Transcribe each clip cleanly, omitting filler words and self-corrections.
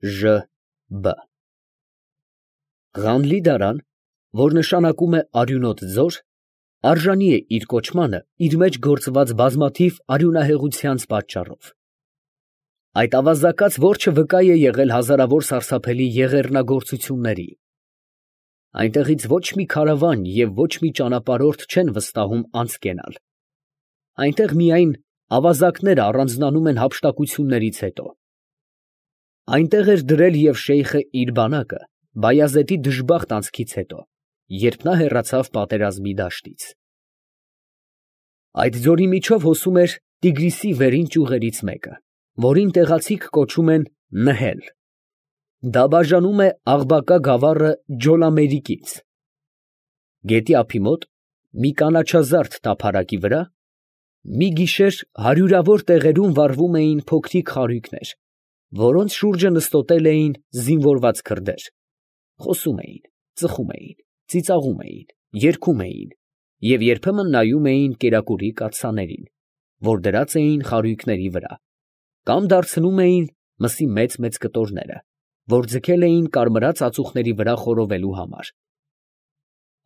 Ղ Ղանլի֊Դարան, որ նշանակում է արյունոտ ձոր, արժանի է իր կոչմանը իր մեջ գործված բազմաթիվ արյունահեղությանց պատճառով։ Այդ ավազակաց որջը վկա է եղել հազարավոր սարսափելի եղեռնագործությունների։ Այնտեղից ոչ մի քարավան և ոչ մի ճանապարհորդ չեն վստահում անցկենալ. այնտեղ միայն ավազակները առանձնանում են հափշտակություններից հետո։ Այնտեղ էր դրել և շեյխը իր բանակը Բայազեդի դժբախտ անցքից հետո, երբ նա հեռացավ պատերազմի դաշտից։ Այդ ձորի միջով հոսում էր Տիգրիսի վերին ճյուղերից մեկը, որին տեղացիք կոչում են Նըհել. դա բաժանում է Աղբակա գավառը Ջոլամերիկից։ Գետի ափի մոտ, մի կանաչազարդ տափարակի վրա, մի գիշեր հարյուրավոր տեղերում վառվում էին փոքրիկ խարույկներ, որոնց շուրջը նստոտել էին զինվորված քրդեր, խոսում էին, ծխում էին, ծիծաղում էին, երգում էին և երբեմն նայում էին կերակուրի կաթսաներին, որ դրած էին խարույկների վրա, կամ դարձնում էին մսի մեծ կտորները, որ ձգել էին կարմրած ածուխների վրա խորովելու համար։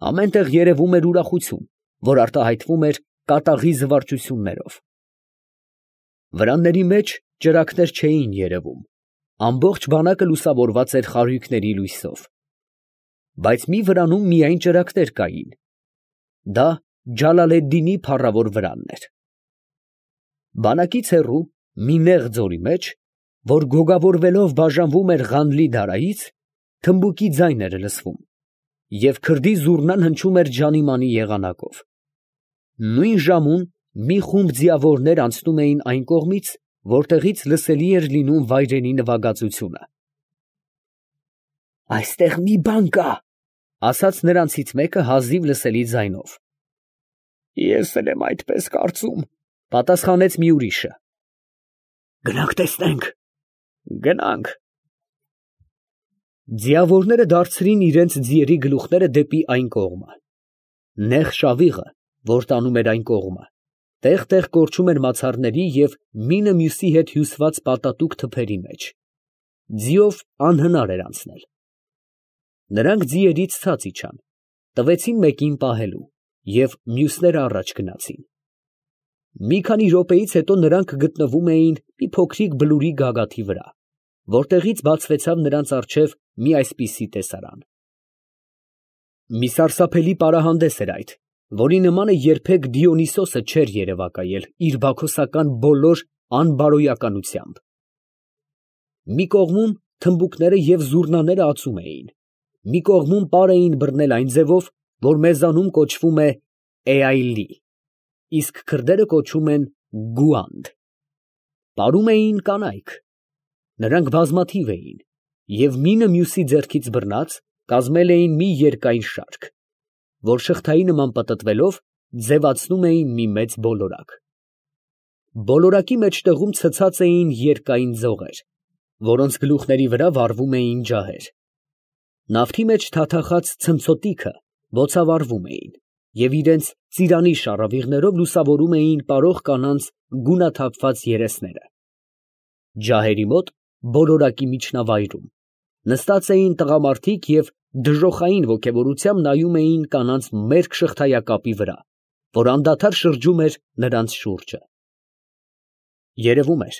Ամեն տեղ երևում էր ուրախություն, որ արտահայտվում էր կատաղի զվարճություններով։ Վրանների մեջ ճրագներ չէին երևում, ամբողջ բանակը լուսավորված էր խարույկների լույսով, բայց մի վրանում միայն ճրագներ կային, դա Ջալալեդդինի փառավոր վրանն էր։ Բանակից հեռու, մի նեղ ձորի մեջ, որ գոգավորվելով բաժանվում էր Ղանլի֊Դարայից, թմբուկի ձայն էր լսվում, և քրդի զուռնան հնչում էր ջանիմանի եղանակով։ Նույն ժամուն մի խումբ ձիավորներ անցնում էին այն կողմից, որտեղից լսելի էր լինում վայրենի նվագածությունը։ «Այստեղ մի բան կա», ֊ ասաց նրանցից մեկը հազիվ լսելի ձայնով։ «Ես էլ եմ այդպես կարծում», ֊ պատասխանեց մի ուրիշը։ «Գնանք տեսնենք»։ «Գնանք»։ Ձիավորները դարձրին իրենց ձիերի գլուխները դեպի այն կողմը։ Նեղ շավիղը, որ տանում էր այն կողմը, տեղ կորչում էր մացառների և մինը մյուսի հետ հյուսված պատատուկ թփերի մեջ։ Ձիով անհնար էր անցնել։ Նրանք ձիերից ցած իջան, տվեցին մեկին պահելու, և մյուսները առաջ գնացին։ Մի քանի րոպեից հետո նրանք գտնվում էին մի փոքրիկ բլուրի գագաթի վրա, որտեղից բացվեցավ նրանց առջև մի այսպիսի տեսարան։ Մի սարսափելի պարահանդես էր այդ, որի նմանը երբեք Դիոնիսիոսը չէր երևակայել իր բաքոսական բոլոր անբարոյականությամբ։ Մի կողմում թմբուկները և զուռնաները ածում էին, մի կողմում պար էին բռնել այն ձևով, որ մեզանում կոչվում է Էայլի, իսկ քրդերը կոչում են Գուանդ։ Պարում էին կանայք, նրանք բազմաթիվ էին և մինը մյուսի ձեռքից բռնած կազմել էին մի երկայն շարք, որ շղթայի նման պտտվելով ձևացնում էին մի մեծ բոլորակ։ Բոլորակի մեջտեղում ցցած էին երկայն ձողեր, որոնց գլուխների վրա վառվում էին ջահեր։ Նավթի մեջ թաթախած ցնցոտիքը բոցավառվում էին և իրենց ծիրանի շառավիղներով լուսավորում էին պարող կանանց գունաթափված երեսները։ Ջահերի մոտ, բոլորակի միջնավայրում, նստած էին տղամարդիկ և դժոխային ոգևորությամբ նայում էին կանանց մերկ շղթայակապի վրա, որ անդադար շրջում էր նրանց շուրջը։ Երևում էր,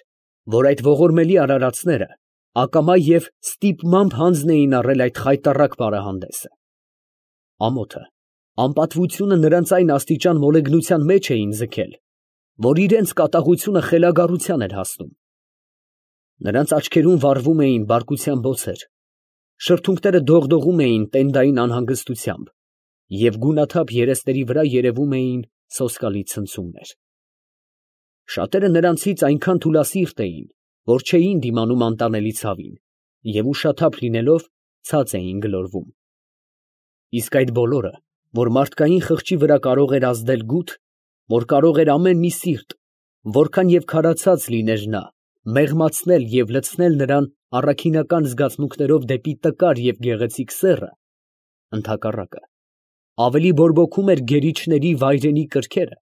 որ այդ ողորմելի արարածները ակամա և ստիպմամբ հանձն էին առել այդ խայտառակ պարահանդեսը։ Ամոթը, անպատվությունը նրանց այն աստիճան մոլեգնության մեջ էին ձգել, որ իրենց կատաղությունը խելագարության էր հասնում։ Նրանց աչքերում վառվում էին բարկության բոցեր, շրթունքները դողդողում էին տենդային անհանգստությամբ և գունաթափ երեսների վրա երևում էին սոսկալի ցնցումներ։ Շատերը նրանցից այնքան թուլասիրտ էին, որ չէին դիմանում անտանելի ցավին և ուշաթափ լինելով ցած էին գլորվում։ Իսկ այդ բոլորը, որ մարդկային խղճի վրա կարող էր ազդել գութ, որ կարող էր ամեն մի սիրտ, որքան և քարացած լիներ նա, մեղմացնել և լցնել նրան առաքինական զգացմունքներով դեպի տկար և գեղեցիկ սեռը, ընդհակառակը, ավելի բորբոքում էր գերիչների վայրենի կրքերը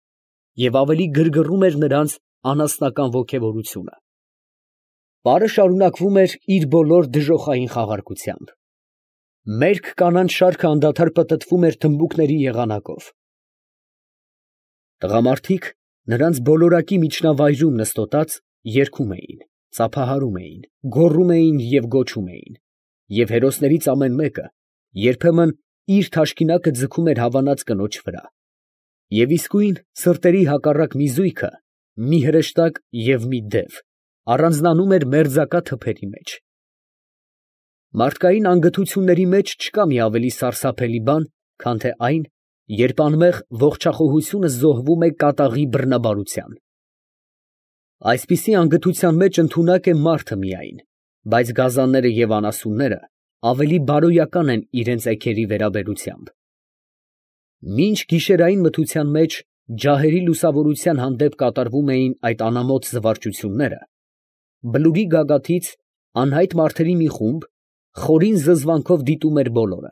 և ավելի գրգռում էր նրանց անասնական ոգևորությունը։ Պարը շարունակվում էր իր բոլոր դժոխային խաղարկությամբ։ Մերկ կանանց շարքը անդադար պտտվում էր թմբուկների եղանակով։ Տղամարդիկ նրանց բոլորակի միջնավայրում նստոտած երգում էին, ծափահարում էին, գոռում էին և գոչում էին, և հերոսներից ամեն մեկը երբեմն իր թաշկինակը ձգում էր հավանած կնոջ վրա, և իսկույն սրտերի հակառակ մի զույգը, մի հրեշտակ և մի դև, առանձնանում էր մերձակա թփերի մեջ։ Մարդկային անգթությունների մեջ չկա մի ավելի սարսափելի բան, քան թե այն, երբ անմեղ ողջախոհությունը զոհվում է կատաղի բռնաբարության։ Այսպիսի անգթության մեջ ընդունակ է մարդը միայն, բայց գազանները և անասունները ավելի բարոյական են իրենց էգերի վերաբերությամբ։ Մինչ գիշերային մթության մեջ ջահերի լուսավորության հանդեպ կատարվում էին այդ անամոթ զվարճությունները, բլուրի գագաթից անհայտ մարդերի մի խումբ խորին զզվանքով դիտում էր բոլորը։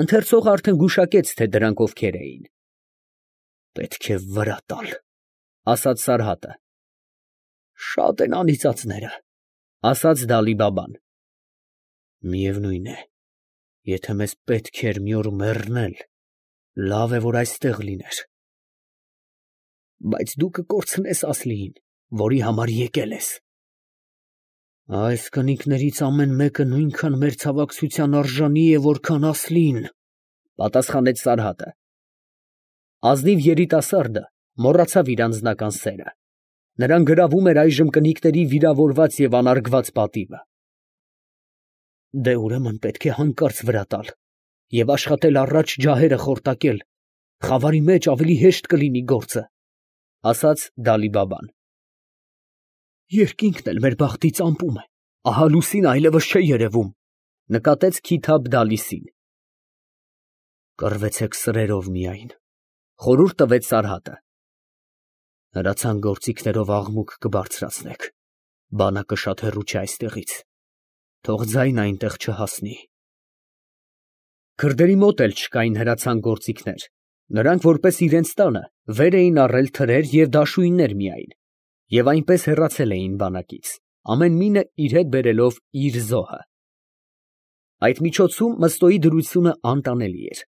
Ընթերցողը արդեն գուշակեց, թե դրանք ովքեր էին։ «Պետք է վրա տալ», ֊ ասաց Սարհատը։ «Շատ են անիծածները», ֊ ասաց Դալի֊Բաբան։ «Միևնույն է, եթե մեզ պետք էր մի օր մեռնել, լավ է, որ այստեղ լիներ»։ «Բայց դու կկորցնես Ասլիին, որի համար եկել ես»։ «Այս կնիկներից ամեն մեկը նույնքան մեր ցավակցության արժանի է, որքան Ասլին», ֊ պատասխանեց Սարհատը։ Ազնիվ երիտասարդը մոռացավ իր անձնական սերը. նրան գրավում էր այժմ կնիկների վիրավորված և անարգված պատիվը։ «Դե ուրեմն պետք է հանկարծ վրա տալ և աշխատել առաջ ջահերը խորտակել, խավարի մեջ ավելի հեշտ կլինի գործը», ֊ ասաց Դալի֊Բաբան։ «Երկինքն էլ մեր բախտից ամպում է, ահա լուսինը այլևս չէ երևում», ֊ նկատեց Քիթաբ֊Դալիսին։ «Կռվեցեք սրերով միայն», ֊ խորհուրդ տվեց Սարհատը։ «Հրացան գործիքներով աղմուկ կբարձրացնեք, բանակը շատ հեռու չէ այստեղից, թող ձայնը այնտեղ չհասնի»։ Քրդերի մոտ էլ չկային հրացան գործիքներ, նրանք որպես իրենց տանը վեր էին առել թրեր և դաշույններ միայն, և այնպես հեռացել էին բանակից, ամեն մինը իր հետ բերելով իր զոհը։ Այդ միջոցում Մըստոյի դրությունը անտանելի էր։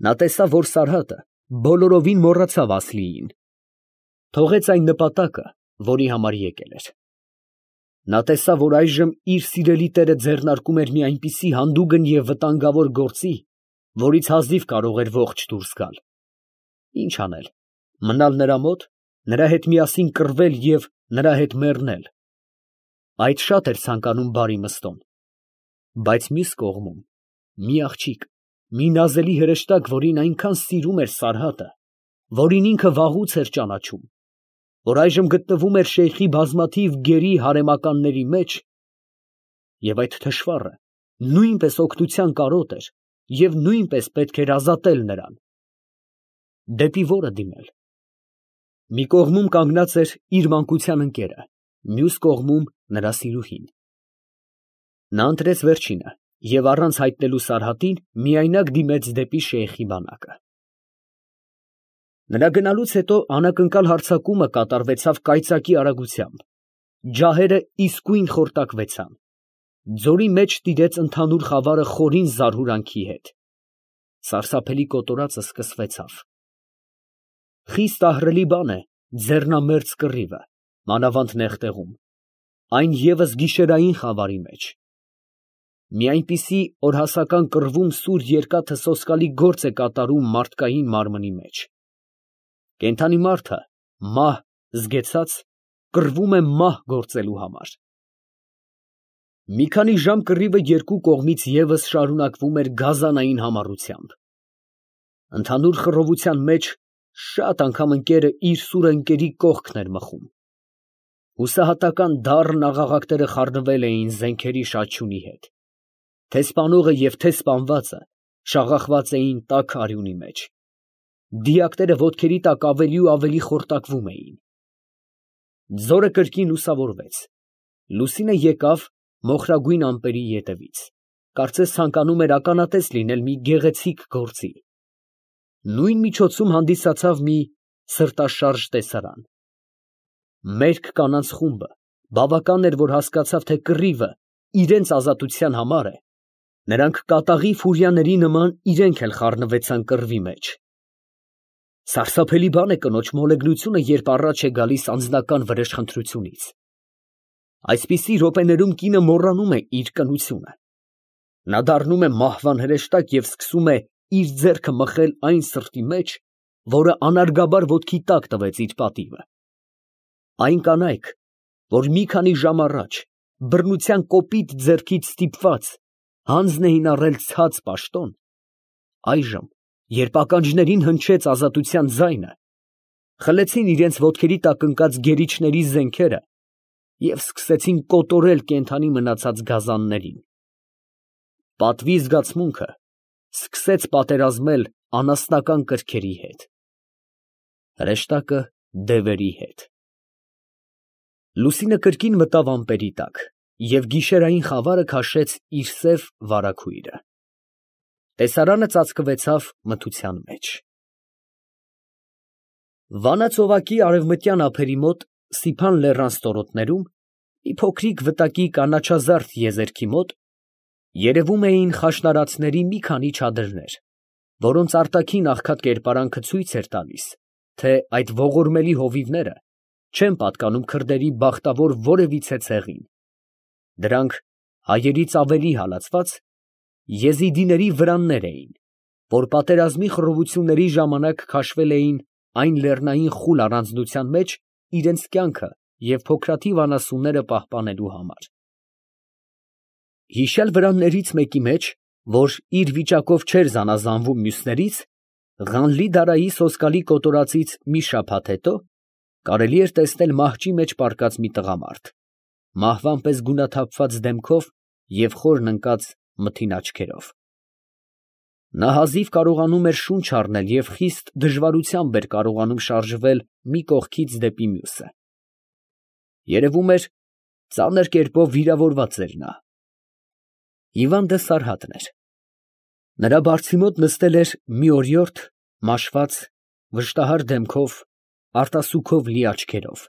Նա տեսավ, որ Սարհատը բոլորովին մոռացավ Ասլիին, թողեց այն նպատակը, որի համար եկել էր։ Նա տեսավ, որ այժմ իր սիրելի տերը ձեռնարկում էր մի այնպիսի հանդուգն և վտանգավոր գործի, որից հազիվ կարող էր ողջ դուրս գալ։ Ինչ անել, մնալ նրա մոտ, նրա հետ միասին կռվել և նրա հետ մեռնել։ Այդ շատ էր ցանկանում բարի Մըստոն։ Բայց մյուս կողմում մի աղջիկ, մի նազելի հրեշտակ, որին այնքան սիրում էր Սարհատը, որին ինքը վաղուց էր ճանաչում, որ այժմ գտնվում էր շեյխի բազմաթիվ գերի հարեմականների մեջ, և այդ թշվառը նույնպես օգնության կարոտ էր և նույնպես պետք էր ազատել նրան։ Դեպի ո՞րը դիմել։ Մի կողմում կանգնած էր իր մանկության ընկերը, մյուս կողմում նրա սիրուհին։ Նա ընտրեց վերջինը և առանց հայտնելու Սարհատին միայնակ դիմեց դեպի շեյխի բանակը։ Նրա գնալուց հետո անակնկալ հարձակումը կատարվեցավ կայծակի արագությամբ, ջահերը իսկույն խորտակվեցան, ձորի մեջ տիրեց ընդհանուր խավարը խորին զարհուրանքի հետ, սարսափելի կոտորածը սկսվեցավ։ Խիստ ահռելի բան է ձեռնամերձ կռիվը, մանավանդ նեղ տեղում, այն ևս գիշերային խավարի մեջ։ Մի այնպիսի օրհասական կռվում սուր երկաթը սոսկալի գործ է կատարում մարդկային մարմնի մեջ։ Կենդանի մարդը, մահ զգեցած, կռվում է մահ գործելու համար։ Մի քանի ժամ կռիվը երկու կողմից ևս շարունակվում էր գազանային համառությամբ։ Ընդհանուր խռովության մեջ շատ անգամ ընկերը իր սուրը ընկերի կողքն էր մխում։ Հուսահատական դառն աղաղակները խառնվել էին զենքերի շաչյունի հետ։ Թե՛ սպանողը և թե՛ սպանվածը շաղախված էին տաք արյունի մեջ։ Դիակները ոտքերի տակ ավելի ու ավելի խորտակվում էին։ Ձորը կրկին լուսավորվեց։ Լուսինը եկավ մոխրագույն ամպերի ետևից, կարծես ցանկանում էր ականատես լինել մի գեղեցիկ գործի։ Նույն միջոցում հանդիսացավ մի սրտաշարժ տեսարան։ Մերկ կանանց խումբը Բավական էր, որ հասկացավ, թե կռիվը իրենց ազատության համար է, նրանք կատաղի ֆուրիաների նման իրենք էլ խառնվեցան կռվի մեջ։ Սարսափելի բան է կնոջ մոլեգնությունը, երբ առաջ է գալիս անձնական վրեժխնդրությունից։ Այսպիսի րոպեներում կինը մոռանում է իր կնությունը։ Նա դառնում է մահվան հրեշտակ և սկսում է իր ձեռքը մխել այն սրտի մեջ, որը անարգաբար ոտքի տակ տվեց իր պատիվը։ Այն կանայք, որ մի քանի ժամ առաջ բռնության կոպիտ ձեռքից ստիպված հանձն էին առել ցած պաշտոն, այժմ, երբ ականջներին հնչեց ազատության ձայնը, խլեցին իրենց ոտքերի տակ ընկած գերիչների զենքերը և սկսեցին կոտորել կենդանի մնացած գազաններին։ Պատվի զգացմունքը սկսեց պատերազմել անասնական կրքերի հետ, հրեշտակը դևերի հետ։ Լուսինը կրկին մտավ ամպերի տակ և գիշերային խավարը քաշեց իր սև վարագույրը։ Տեսարանը ծածկվեցավ մթության մեջ։ Վանաձովակի արևմտյան ափերի մոտ Սիփան լեռան ստորոտներում, մի փոքրիկ վտակի կանաչազարդ եզերքի մոտ, երևում էին խաշնարածների մի քանի չադրներ, որոնց արտաքին աղքատ կերպարանքը ցույց էր տալիս, թե այդ ողորմելի հովիվները չեն պատկանում քրդերի բախտավոր որևիցե ցեղին։ Դրանք հայերից ավելի հալածված եզիդիների վրաններ էին, որ պատերազմի խռովությունների ժամանակ քաշվել էին այն լեռնային խուլ առանձնության մեջ իրենց կյանքը և փոքրաթիվ անասունները պահպանելու համար։ Հիշյալ վրաններից մեկի մեջ, որ իր վիճակով չէր զանազանվում մյուսներից, Ղանլի֊Դարայի սոսկալի կոտորածից մի շաբաթ հետո կարելի էր տեսնել մահճի մեջ պառկած մի տղամարդ, մահվան պես գունաթափված դեմքով և խորն ընկած մթին աչքերով։ Նա հազիվ կարողանում էր շունչ առնել և խիստ դժվարությամբ էր կարողանում շարժվել մի կողքից դեպի մյուսը։ Երևում էր, ծանր կերպով վիրավորված էր նա։ Հիվանդը Սարհատն էր։ Նրա բարձի մոտ նստել էր մի օրիորդ, մաշված, վշտահար դեմքով, արտասուքով լի աչքերով։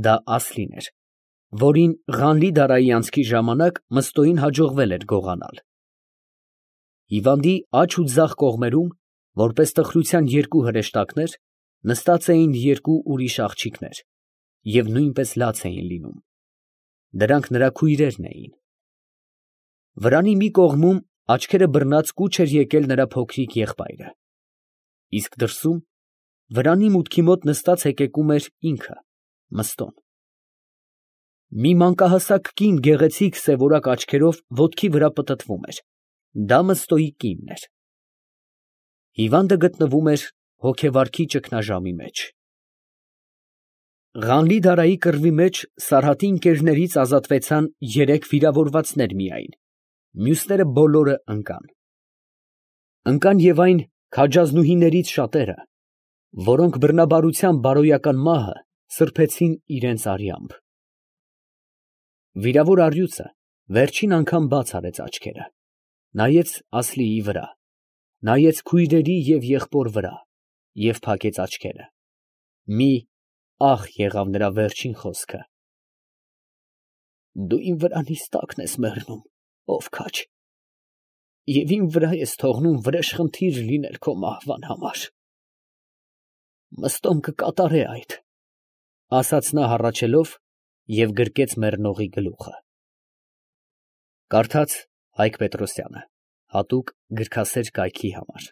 Դա Ասլին էր, որին Ղանլի֊Դարայի անցքի ժամանակ Մըստոյին հաջողվել էր գողանալ։ Հիվանդի աջ ու ձախ կողմերում, որպես տխրության երկու հրեշտակներ, նստած էին երկու ուրիշ աղջիկներ և նույնպես լաց էին լինում։ Դրանք նրա քույրերն էին։ Վրանի մի կողմում աչքերը բռնած կուչ էր եկել նրա փոքրիկ եղբայրը, իսկ դրսում, վրանի մուտքի մոտ նստած հեկեկում էր ինքը, Մըստոն։ Մի մանկահասակ կին գեղեցիկ սևորակ աչքերով ոտքի վրա պտտվում էր, դա Մըստոյի կինն էր։ Հիվանդը գտնվում էր հոգեվարքի ճգնաժամի մեջ։ Ղանլի֊Դարայի կռվի մեջ Սարհատի ընկերներից ազատվեցան 3 վիրավորվածներ միայն, մյուսները բոլորը ընկան։ Ընկան և այն քաջազնուհիներից շատերը, որոնք բռնաբարության բարոյական մահը սրբեցին իրենց արյամբ։ Վիրավոր առյուծը վերջին անգամ բաց արեց աչքերը, նայեց Ասլիի վրա, նայեց քույրերի և եղբոր վրա և փակեց աչքերը։ Մի ահ եղավ նրա վերջին խոսքը. «Դու իմ վրանից տակն ես մեռնում, ով քաջ, և իմ վրա ես թողնում վրեժխնդիր լինել քո մահվան համար»։ Մըստոն կկատարե այդ, ֊ ասաց նա հառաչելով և գրկեց մեռնողի գլուխը։ Կարդաց Հայկ Պետրոսյանը, հատուկ գրքասեր կայքի համար։